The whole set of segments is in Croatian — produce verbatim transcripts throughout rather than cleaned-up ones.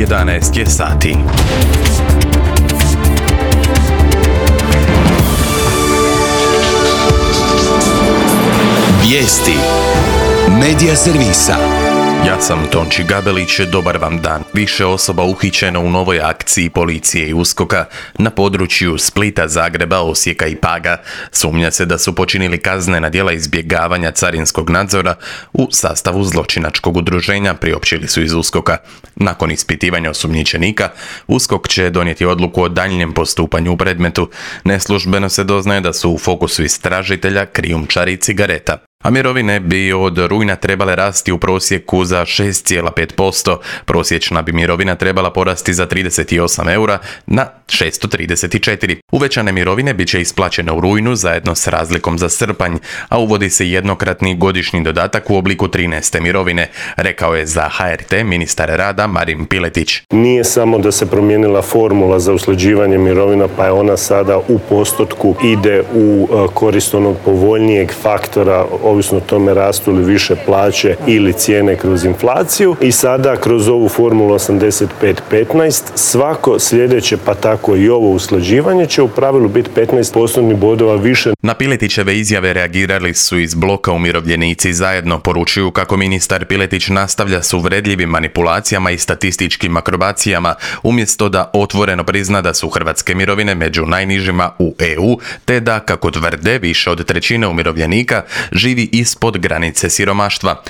jedanaest je sati. Vijesti Medija servisa. Ja sam Tonči Gabelić, dobar vam dan. Više osoba uhićeno u novoj akciji policije i uskoka na području Splita, Zagreba, Osijeka i Paga. Sumnja se da su počinili kaznena djela izbjegavanja carinskog nadzora u sastavu zločinačkog udruženja, priopćili su iz uskoka. Nakon ispitivanja osumnjičenika, uskok će donijeti odluku o daljnjem postupanju u predmetu. Neslužbeno se doznaje da su u fokusu istražitelja krijumčari cigareta. A mirovine bi od rujna trebale rasti u prosjeku za šest zarez pet posto. Prosječna bi mirovina trebala porasti za trideset osam eura na šesto trideset četiri. Uvećane mirovine bit će isplaćene u rujnu zajedno s razlikom za srpanj, a uvodi se jednokratni godišnji dodatak u obliku trinaeste mirovine, rekao je za H R T ministar rada Marin Piletić. Nije samo da se promijenila formula za usklađivanje mirovina, pa je ona sada u postotku ide u korist onog povoljnijeg faktora, ovisno o tome rastu li više plaće ili cijene kroz inflaciju, i sada kroz ovu formulu osamdeset pet petnaest svako sljedeće, pa tako i ovo usklađivanje, će u pravilu biti petnaest postotnih bodova više. Na Piletićeve izjave reagirali su iz bloka Umirovljenici zajedno. Poručuju kako ministar Piletić nastavlja s uvredljivim manipulacijama i statističkim akrobacijama, umjesto da otvoreno prizna da su hrvatske mirovine među najnižima u E U, te da, kako tvrde, više od trećine umirovljenika živi ispod granice siromaštva.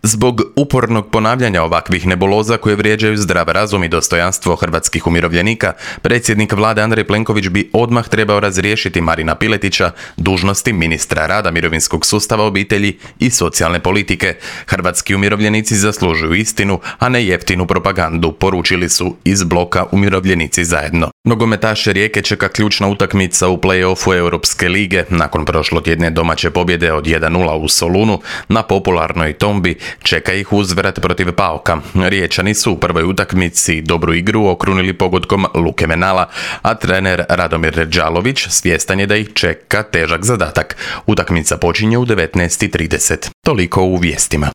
Zbog upornog ponavljanja ovakvih nebuloza koje vrijeđaju zdrav razum i dostojanstvo hrvatskih umirovljenika, predsjednik vlade Andrej Plenković bi odmah trebao razriješiti Marina Piletića dužnosti ministra rada, mirovinskog sustava, obitelji i socijalne politike. Hrvatski umirovljenici zaslužuju istinu, a ne jeftinu propagandu, poručili su iz bloka Umirovljenici zajedno. Nogometaše Rijeke čeka ključna utakmica u play-offu Europske lige. Nakon prošlotjedne domaće pobjede od jedan nula u Solunu na popularnoj Tombi, čeka ih uzvrat protiv Paoka. Riječani su u prvoj utakmici dobru igru okrunili pogodkom Luke Menala, a trener Radomir Đalović svjestan je da ih čeka težak zadatak. Utakmica počinje u devetnaest i trideset. Toliko u vijestima.